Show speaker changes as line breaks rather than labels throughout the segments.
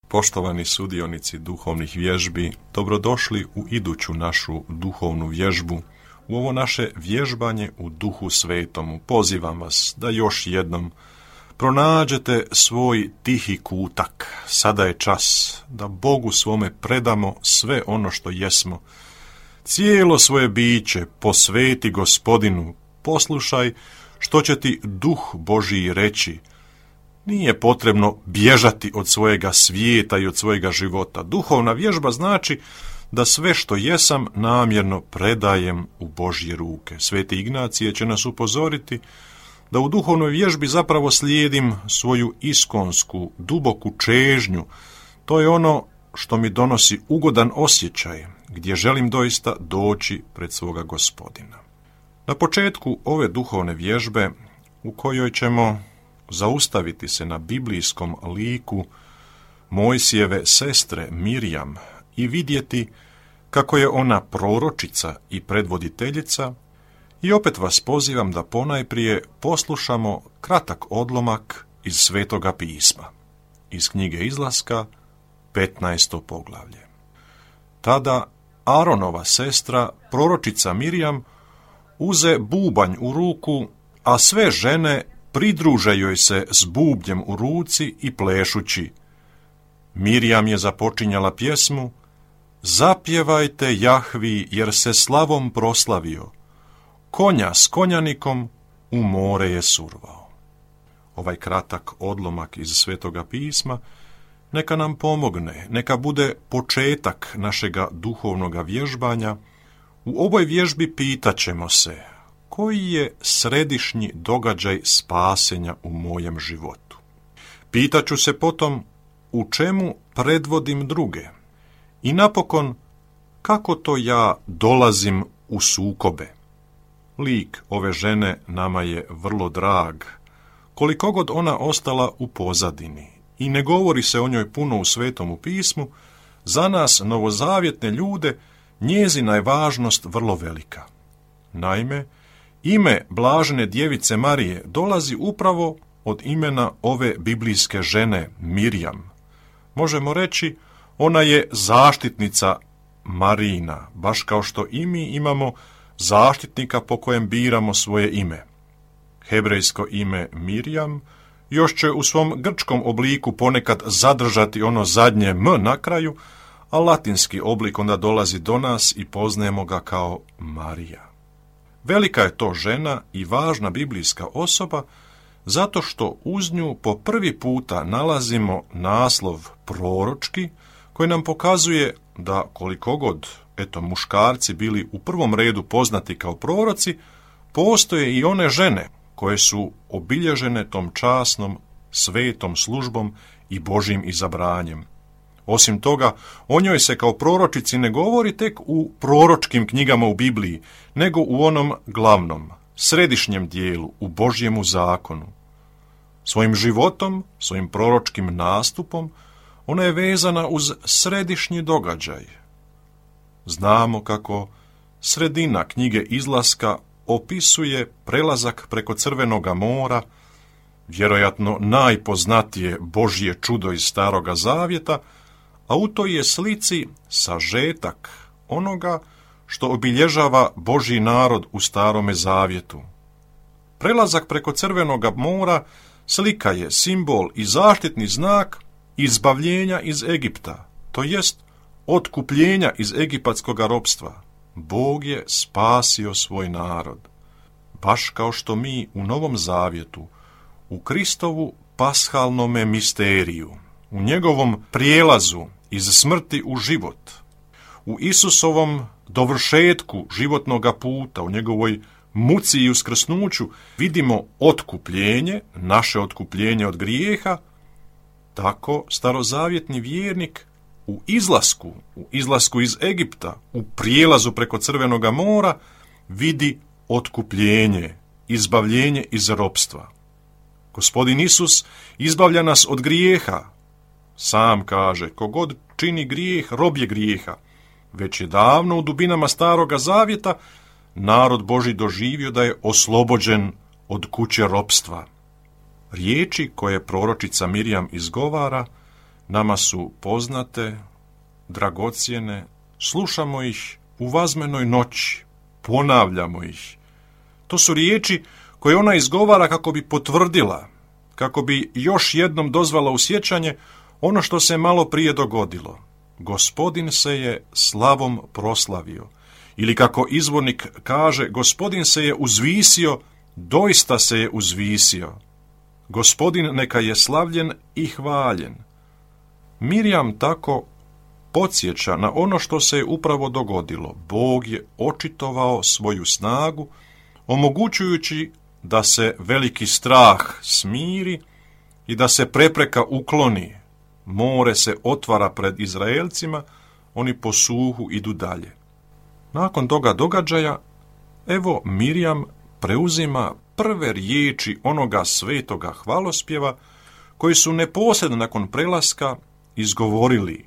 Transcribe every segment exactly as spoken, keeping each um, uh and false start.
Poštovani sudionici duhovnih vježbi, dobrodošli u iduću našu duhovnu vježbu, u ovo naše vježbanje u Duhu Svetomu. Pozivam vas da još jednom pronađete svoj tihi kutak. Sada je čas da Bogu svome predamo sve ono što jesmo. Cijelo svoje biće posveti Gospodinu, poslušaj što će ti Duh Božiji reći. Nije potrebno bježati od svojega svijeta i od svojega života. Duhovna vježba znači da sve što jesam namjerno predajem u Božje ruke. Sveti Ignacije će nas upozoriti da u duhovnoj vježbi zapravo slijedim svoju iskonsku, duboku čežnju. To je ono što mi donosi ugodan osjećaj, gdje želim doista doći pred svoga Gospodina. Na početku ove duhovne vježbe, u kojoj ćemo zaustaviti se na biblijskom liku Mojsijeve sestre Mirjam i vidjeti kako je ona proročica i predvoditeljica, i opet vas pozivam da ponajprije poslušamo kratak odlomak iz Svetoga pisma, iz knjige Izlaska, petnaesto poglavlje. Tada Aronova sestra, proročica Mirjam, uze bubanj u ruku, a sve žene pridruže joj se s bubnjem u ruci i plešući. Mirjam je započinjala pjesmu: Zapjevajte Jahvi, jer se slavom proslavio, konja s konjanikom u more je survao. Ovaj kratak odlomak iz Svetoga pisma neka nam pomogne, neka bude početak našega duhovnoga vježbanja. U ovoj vježbi pitaćemo se: koji je središnji događaj spasenja u mojem životu? Pitaću se potom u čemu predvodim druge i napokon kako to ja dolazim u sukobe. Lik ove žene nama je vrlo drag, koliko god ona ostala u pozadini i ne govori se o njoj puno u Svetomu pismu. Za nas novozavjetne ljude njezina je važnost vrlo velika. Naime, ime blažene djevice Marije dolazi upravo od imena ove biblijske žene Mirjam. Možemo reći, ona je zaštitnica Marijina, baš kao što i mi imamo zaštitnika po kojem biramo svoje ime. Hebrejsko ime Mirjam još će u svom grčkom obliku ponekad zadržati ono zadnje M na kraju, a latinski oblik onda dolazi do nas i poznajemo ga kao Marija. Velika je to žena i važna biblijska osoba zato što uz nju po prvi puta nalazimo naslov proročki koji nam pokazuje da koliko god eto muškarci bili u prvom redu poznati kao proroci, postoje i one žene koje su obilježene tom časnom, svetom službom i Božjim izabranjem. Osim toga, o njoj se kao proročici ne govori tek u proročkim knjigama u Bibliji, nego u onom glavnom, središnjem dijelu, u Božjemu zakonu. Svojim životom, svojim proročkim nastupom, ona je vezana uz središnji događaj. Znamo kako sredina knjige Izlaska opisuje prelazak preko Crvenoga mora, vjerojatno najpoznatije Božje čudo iz Staroga zavjeta, a u toj je slici sažetak onoga što obilježava Božji narod u Starome zavjetu. Prelazak preko Crvenoga mora slika je simbol i zaštitni znak izbavljenja iz Egipta, to jest otkupljenja iz egipatskog ropstva. Bog je spasio svoj narod. Baš kao što mi u Novom zavjetu, u Kristovu pashalnome misteriju, u njegovom prijelazu iz smrti u život, u Isusovom dovršetku životnoga puta, u njegovoj muci i uskrsnuću vidimo otkupljenje, naše otkupljenje od grijeha, tako starozavjetni vjernik u izlasku, u izlasku iz Egipta, u prijelazu preko Crvenoga mora vidi otkupljenje, izbavljenje iz ropstva. Gospodin Isus izbavlja nas od grijeha. Sam kaže, kogod čini grijeh, rob je grijeha. Već je davno u dubinama Staroga zavjeta narod Božji doživio da je oslobođen od kuće ropstva. Riječi koje proročica Mirjam izgovara nama su poznate, dragocjene, slušamo ih u vazmenoj noći, ponavljamo ih. To su riječi koje ona izgovara kako bi potvrdila, kako bi još jednom dozvala u sjećanje ono što se malo prije dogodilo. Gospodin se je slavom proslavio. Ili kako izvornik kaže, Gospodin se je uzvisio, doista se je uzvisio. Gospodin neka je slavljen i hvaljen. Mirjam tako podsjeća na ono što se je upravo dogodilo. Bog je očitovao svoju snagu, omogućujući da se veliki strah smiri i da se prepreka ukloni. More se otvara pred Izraelcima, oni po suhu idu dalje. Nakon toga događaja, evo Mirjam preuzima prve riječi onoga svetoga hvalospjeva koji su neposredno nakon prelaska izgovorili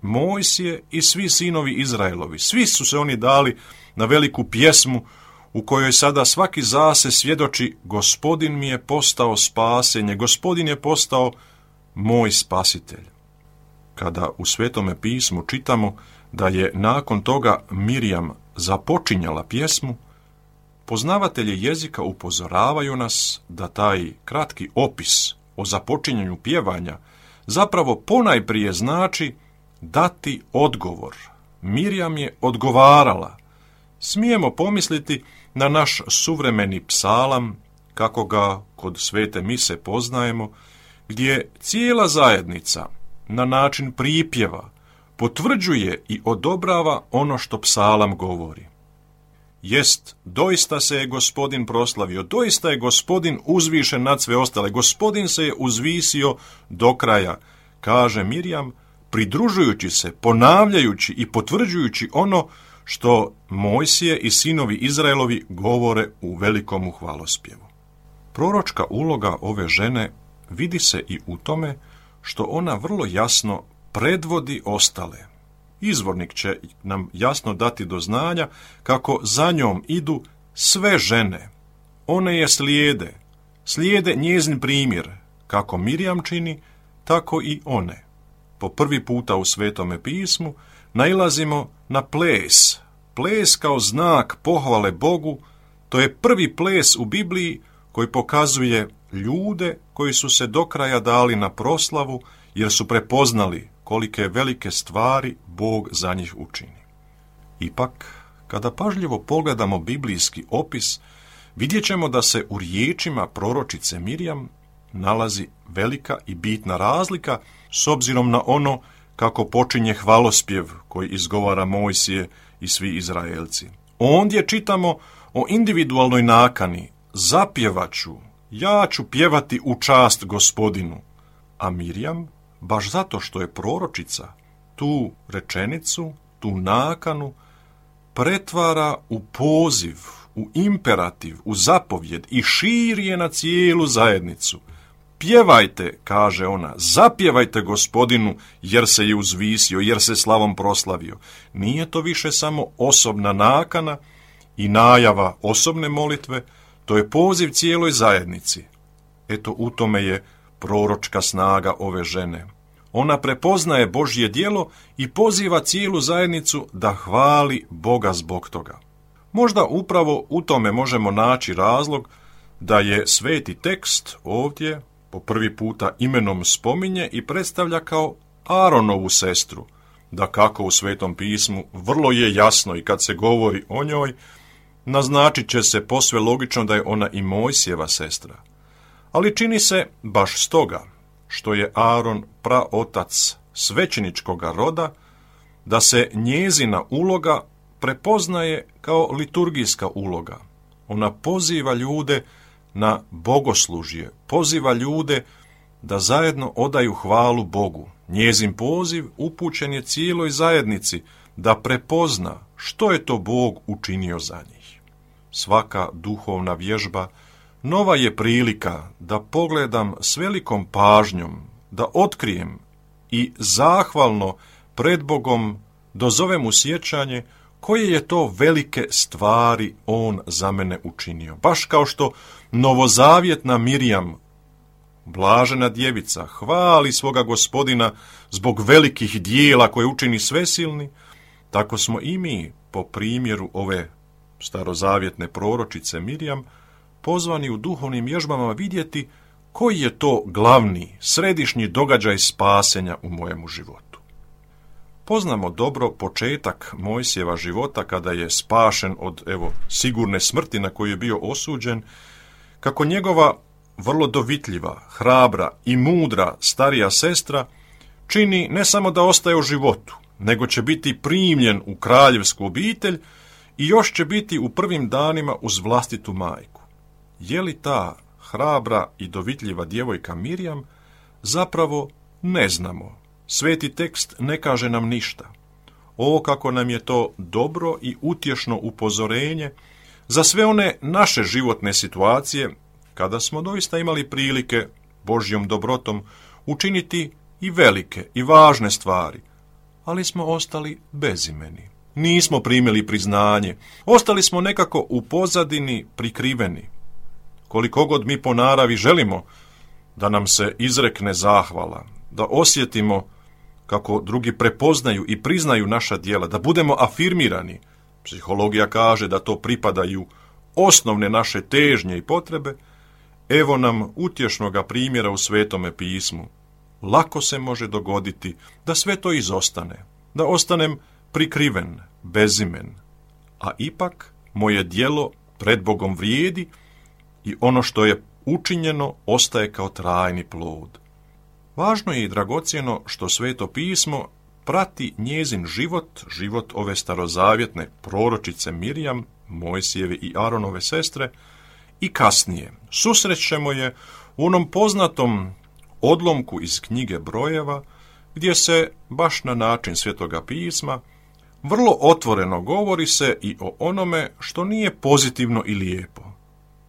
Mojsije i svi sinovi Izraelovi. Svi su se oni dali na veliku pjesmu u kojoj sada svaki zase svjedoči Gospodin mi je postao spasenje, Gospodin je postao moj spasitelj. Kada u Svetome pismu čitamo da je nakon toga Mirjam započinjala pjesmu, poznavatelji jezika upozoravaju nas da taj kratki opis o započinjanju pjevanja zapravo ponajprije znači dati odgovor. Mirjam je odgovarala. Smijemo pomisliti na naš suvremeni psalam, kako ga kod svete mise poznajemo, gdje cijela zajednica na način pripjeva potvrđuje i odobrava ono što psalam govori. Jest, doista se je Gospodin proslavio, doista je Gospodin uzvišen nad sve ostale, Gospodin se je uzvisio do kraja, kaže Mirjam, pridružujući se, ponavljajući i potvrđujući ono što Mojsije i sinovi Izraelovi govore u velikom hvalospjevu. Proročka uloga ove žene vidi se i u tome što ona vrlo jasno predvodi ostale. Izvornik će nam jasno dati do znanja kako za njom idu sve žene. One je slijede, slijede njezin primjer, kako Mirjam čini, tako i one. Po prvi puta u Svetome pismu nailazimo na ples. Ples kao znak pohvale Bogu, to je prvi ples u Bibliji koji pokazuje ljude koji su se do kraja dali na proslavu jer su prepoznali kolike velike stvari Bog za njih učini. Ipak, kada pažljivo pogledamo biblijski opis, vidjet ćemo da se u riječima proročice Mirjam nalazi velika i bitna razlika s obzirom na ono kako počinje hvalospjev koji izgovara Mojsije i svi Izraelci. Ondje čitamo o individualnoj nakani, zapjevaću, ja ću pjevati u čast Gospodinu, a Mirjam, baš zato što je proročica, tu rečenicu, tu nakanu, pretvara u poziv, u imperativ, u zapovjed i širi je na cijelu zajednicu. Pjevajte, kaže ona, zapjevajte Gospodinu jer se je uzvisio, jer se slavom proslavio. Nije to više samo osobna nakana i najava osobne molitve, to je poziv cijeloj zajednici. Eto, u tome je proročka snaga ove žene. Ona prepoznaje Božje djelo i poziva cijelu zajednicu da hvali Boga zbog toga. Možda upravo u tome možemo naći razlog da je sveti tekst ovdje po prvi puta imenom spominje i predstavlja kao Aaronovu sestru. Da kako u Svetom pismu vrlo je jasno i kad se govori o njoj, naznačit će se posve logično da je ona i Mojsijeva sestra. Ali čini se baš stoga što je Aaron praotac svećeničkoga roda, da se njezina uloga prepoznaje kao liturgijska uloga. Ona poziva ljude na bogoslužje, poziva ljude da zajedno odaju hvalu Bogu. Njezin poziv upućen je cijeloj zajednici da prepozna što je to Bog učinio za njih. Svaka duhovna vježba nova je prilika da pogledam s velikom pažnjom, da otkrijem i zahvalno pred Bogom dozovem u sjećanje koje je to velike stvari On za mene učinio. Baš kao što novozavjetna Mirjam Blažena djevica hvali svoga Gospodina zbog velikih dijela koje učini svesilni, tako smo i mi, po primjeru ove starozavjetne proročice Mirjam, pozvani u duhovnim vježbama vidjeti koji je to glavni, središnji događaj spasenja u mojemu životu. Poznamo dobro početak Mojsijeva života kada je spašen od, evo, sigurne smrti na koju je bio osuđen, kako njegova vrlo dovitljiva, hrabra i mudra starija sestra čini ne samo da ostaje u životu, nego će biti primljen u kraljevsku obitelj i još će biti u prvim danima uz vlastitu majku. Je li ta hrabra i dovitljiva djevojka Mirjam? Zapravo ne znamo. Sveti tekst ne kaže nam ništa. O, kako nam je to dobro i utješno upozorenje za sve one naše životne situacije kada smo doista imali prilike Božjom dobrotom učiniti i velike i važne stvari, ali smo ostali bezimeni. Nismo primili priznanje, ostali smo nekako u pozadini prikriveni. Koliko god mi po naravi želimo da nam se izrekne zahvala, da osjetimo kako drugi prepoznaju i priznaju naša djela, da budemo afirmirani. Psihologija kaže da to pripadaju osnovne naše težnje i potrebe. Evo nam utješnoga primjera u Svetome pismu. Lako se može dogoditi da sve to izostane, da ostanem prikriven, bezimen, a ipak moje djelo pred Bogom vrijedi i ono što je učinjeno ostaje kao trajni plod. Važno je i dragocjeno što Sveto pismo prati njezin život, život ove starozavjetne proročice Mirjam, Mojsijeve i Aronove sestre, i kasnije susrećemo je u onom poznatom odlomku iz knjige Brojeva, gdje se, baš na način Svetoga pisma, vrlo otvoreno govori se i o onome što nije pozitivno i lijepo.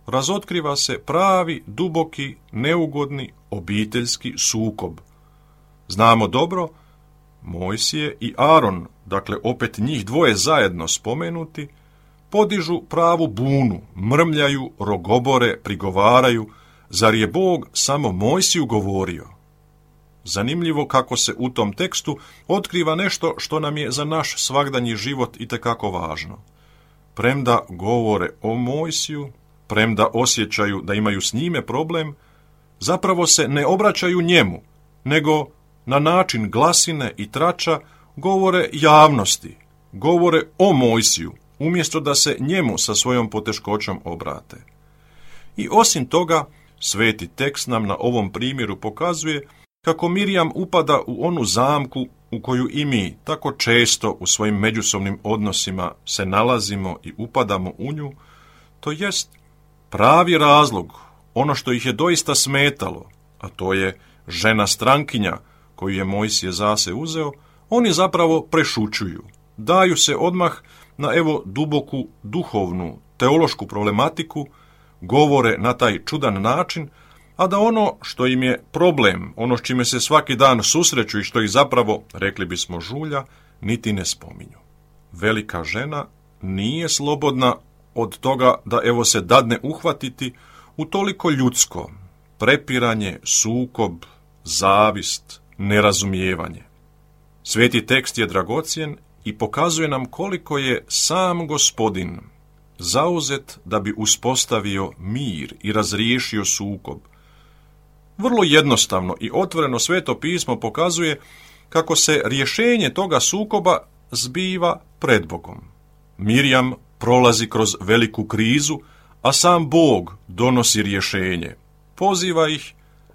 Razotkriva se pravi, duboki, neugodni, obiteljski sukob. Znamo dobro, Mojsije i Aron, dakle opet njih dvoje zajedno spomenuti, podižu pravu bunu, mrmljaju, rogobore, prigovaraju, zar je Bog samo Mojsiju govorio? Zanimljivo kako se u tom tekstu otkriva nešto što nam je za naš svagdanji život itekako važno. Premda govore o Mojsiju, premda osjećaju da imaju s njime problem, zapravo se ne obraćaju njemu, nego na način glasine i trača govore javnosti, govore o Mojsiju, umjesto da se njemu sa svojom poteškoćom obrate. I osim toga, sveti tekst nam na ovom primjeru pokazuje kako Mirjam upada u onu zamku u koju i mi tako često u svojim međusobnim odnosima se nalazimo i upadamo u nju, to jest pravi razlog, ono što ih je doista smetalo, a to je žena strankinja koju je Mojsije zase uzeo, oni zapravo prešućuju, daju se odmah na evo duboku duhovnu, teološku problematiku, govore na taj čudan način, a da ono što im je problem, ono s čime se svaki dan susreću i što ih zapravo, rekli bismo, žulja, niti ne spominju. Velika žena nije slobodna od toga da evo se dadne uhvatiti u toliko ljudsko, prepiranje, sukob, zavist, nerazumijevanje. Sveti tekst je dragocjen i pokazuje nam koliko je sam Gospodin zauzet da bi uspostavio mir i razriješio sukob. Vrlo jednostavno i otvoreno Sveto pismo pokazuje kako se rješenje toga sukoba zbiva pred Bogom. Mirjam prolazi kroz veliku krizu, a sam Bog donosi rješenje. Poziva ih,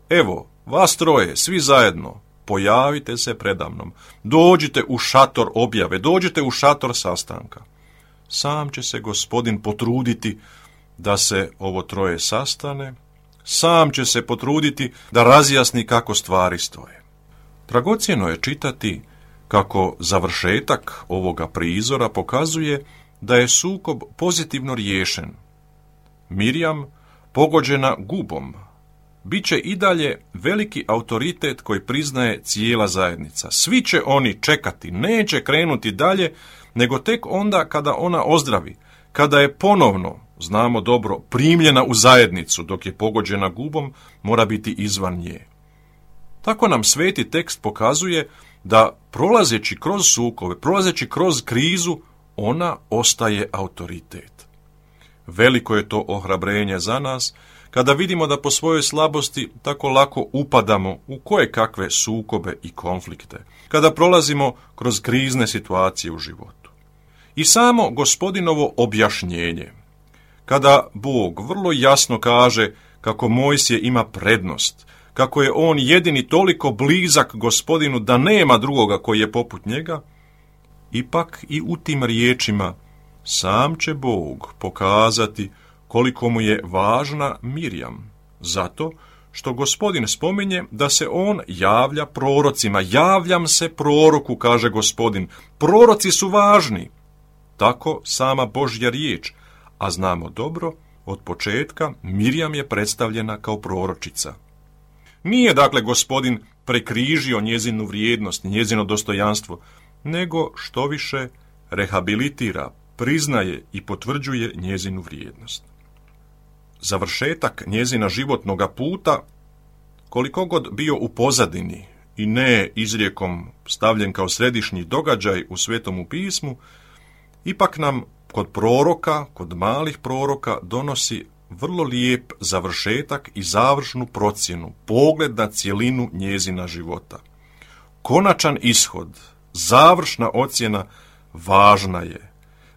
evo, vas troje, svi zajedno, pojavite se predamnom, dođite u šator objave, dođite u šator sastanka. Sam će se Gospodin potruditi da se ovo troje sastane, sam će se potruditi da razjasni kako stvari stoje. Dragocjeno je čitati kako završetak ovoga prizora pokazuje da je sukob pozitivno riješen. Mirjam, pogođena gubom, bit će i dalje veliki autoritet koji priznaje cijela zajednica. Svi će oni čekati, neće krenuti dalje, nego tek onda kada ona ozdravi, kada je ponovno, znamo dobro, primljena u zajednicu, dok je pogođena gubom, mora biti izvan nje. Tako nam sveti tekst pokazuje da prolazeći kroz sukobe, prolazeći kroz krizu, ona ostaje autoritet. Veliko je to ohrabrenje za nas, kada vidimo da po svojoj slabosti tako lako upadamo u koje kakve sukobe i konflikte, kada prolazimo kroz krizne situacije u životu. I samo Gospodinovo objašnjenje, kada Bog vrlo jasno kaže kako Mojsije ima prednost, kako je on jedini toliko blizak Gospodinu da nema drugoga koji je poput njega, ipak i u tim riječima sam će Bog pokazati koliko mu je važna Mirjam, zato što Gospodin spominje da se on javlja prorocima. Javljam se proroku, kaže Gospodin. Proroci su važni. Tako sama Božja riječ, a znamo dobro, od početka Mirjam je predstavljena kao proročica. Nije dakle Gospodin prekrižio njezinu vrijednost, njezino dostojanstvo, nego što više rehabilitira, priznaje i potvrđuje njezinu vrijednost. Završetak njezina životnoga puta, koliko god bio u pozadini i ne izrijekom stavljen kao središnji događaj u Svetomu pismu, ipak nam kod proroka, kod malih proroka donosi vrlo lijep završetak i završnu procjenu, pogled na cjelinu njezina života. Konačan ishod, završna ocjena važna je.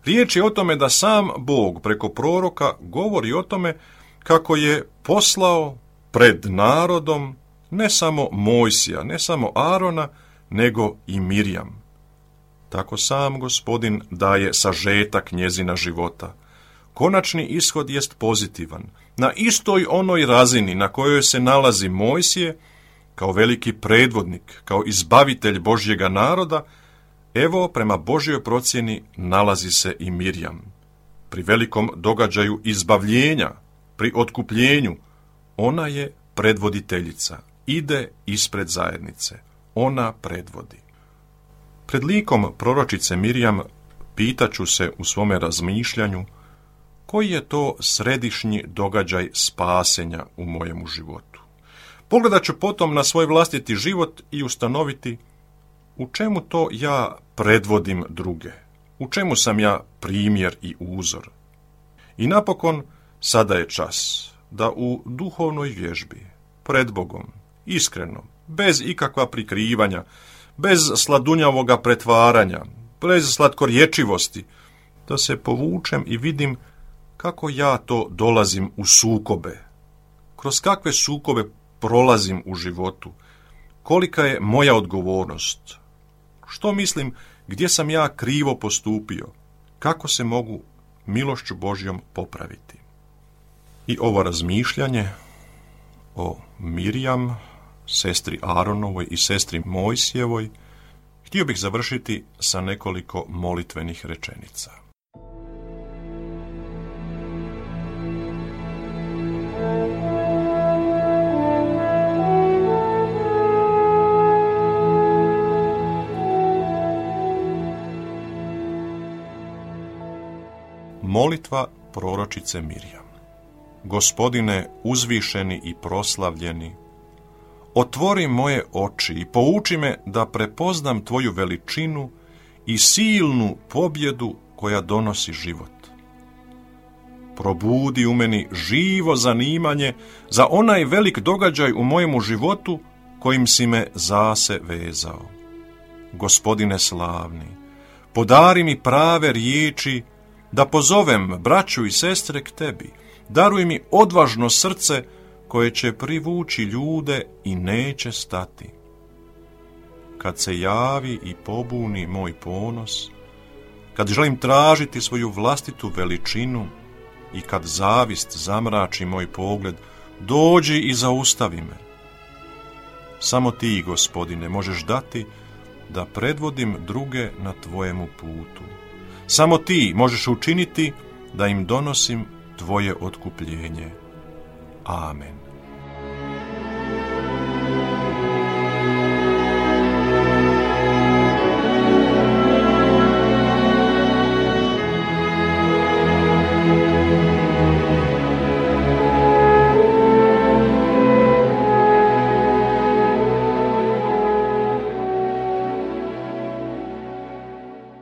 Riječ je o tome da sam Bog preko proroka govori o tome kako je poslao pred narodom ne samo Mojsija, ne samo Arona, nego i Mirjam. Tako sam Gospodin daje sažetak njezina života. Konačni ishod jest pozitivan. Na istoj onoj razini na kojoj se nalazi Mojsije, kao veliki predvodnik, kao izbavitelj Božjega naroda, evo prema Božjoj procjeni nalazi se i Mirjam. Pri velikom događaju izbavljenja, pri otkupljenju, ona je predvoditeljica, ide ispred zajednice, ona predvodi. Pred likom proročice Mirjam pitaću se u svome razmišljanju koji je to središnji događaj spasenja u mojemu životu. Pogledat ću potom na svoj vlastiti život i ustanoviti u čemu to ja predvodim druge, u čemu sam ja primjer i uzor. I napokon, sada je čas da u duhovnoj vježbi, pred Bogom, iskreno, bez ikakva prikrivanja, bez sladunjavoga pretvaranja, bez slatkorječivosti, da se povučem i vidim kako ja to dolazim u sukobe, kroz kakve sukobe prolazim u životu, kolika je moja odgovornost, što mislim, gdje sam ja krivo postupio, kako se mogu milošću Božjom popraviti. I ovo razmišljanje o Mirjam, sestri Aronovoj i sestri Mojsijevoj, htio bih završiti sa nekoliko molitvenih rečenica. Molitva proročice Mirjam. Gospodine uzvišeni i proslavljeni, otvori moje oči i pouči me da prepoznam tvoju veličinu i silnu pobjedu koja donosi život. Probudi u meni živo zanimanje za onaj velik događaj u mojemu životu kojim si me zase vezao. Gospodine slavni, podari mi prave riječi da pozovem braću i sestre k tebi. Daruj mi odvažno srce koje će privući ljude i neće stati. Kad se javi i pobuni moj ponos, kad želim tražiti svoju vlastitu veličinu i kad zavist zamrači moj pogled, dođi i zaustavi me. Samo ti, Gospodine, možeš dati da predvodim druge na tvojemu putu. Samo ti možeš učiniti da im donosim tvoje otkupljenje. Amen.